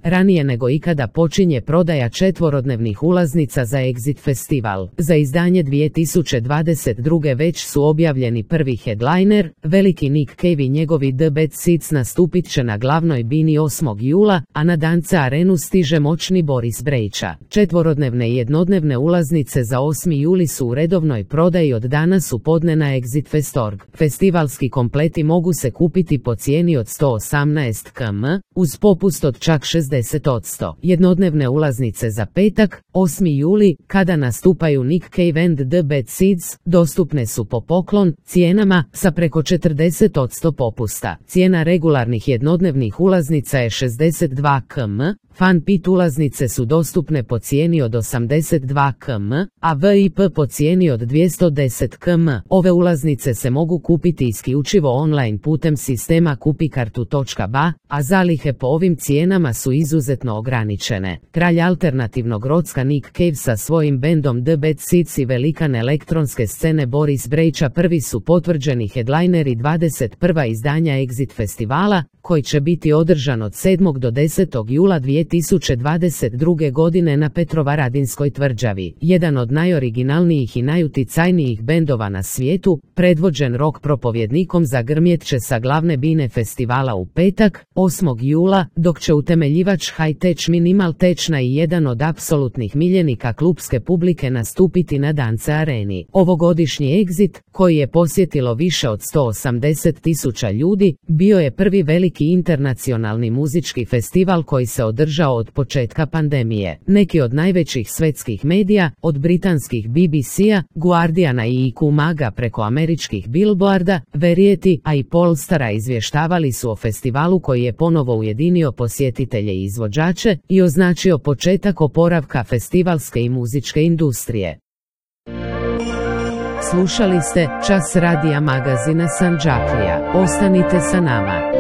Ranije nego ikada počinje prodaja četvorodnevnih ulaznica za Exit festival. Za izdanje 2022. već su objavljeni prvi headliner, veliki Nick Cave i njegovi The Bad Seeds nastupit će na glavnoj bini 8. jula, a na Danza Arenu stiže moćni Boris Brejča. Četvorodnevne i jednodnevne ulaznice za 8. juli su u redovnoj prodaji od danas u podne na Exitfest.org. Festivalski kompleti mogu se kupiti po cijeni od 118 km, uz popust od čak 60%. Jednodnevne ulaznice za petak, 8. juli, kada nastupaju Nick Cave and The Bad Seeds, dostupne su po poklon cijenama sa preko 40% popusta. Cijena regularnih jednodnevnih ulaznica je 62 km, Fan Pit ulaznice su dostupne po cijeni od 82 km, a VIP po cijeni od 210 km. Ove ulaznice se mogu kupiti isključivo online putem sistema kupikartu.ba, a zalihe po ovim cijenama su izuzetno ograničene. Kralj alternativnog rocka Nick Cave sa svojim bendom The Bad Seeds i velikan elektronske scene Boris Brejča prvi su potvrđeni headlineri 21. izdanja Exit festivala, koji će biti održan od 7. do 10. jula 2022. godine na Petrovaradinskoj tvrđavi. Jedan od najoriginalnijih i najuticajnijih bendova na svijetu, predvođen rock propovjednikom, zagrmjet će sa glavne bine festivala u petak, 8. jula, dok će utemeljivač High Tech Minimal Techna i jedan od apsolutnih miljenika klupske publike nastupiti na Danza Areni. Ovogodišnji Exit, koji je posjetilo više od 180.000 ljudi, bio je prvi veliki internacionalni muzički festival koji se održao od početka pandemije. Neki od najvećih svetskih medija, od britanskih BBC-a, Guardiana i IQ Maga preko američkih Billboarda, Variety, a i Pollstara izvještavali su o festivalu koji je ponovo ujedinio posjetitelje i izvođače i označio početak oporavka festivalske i muzičke industrije. Slušali ste Čas radija magazina Sandžaklija. Ostanite sa nama.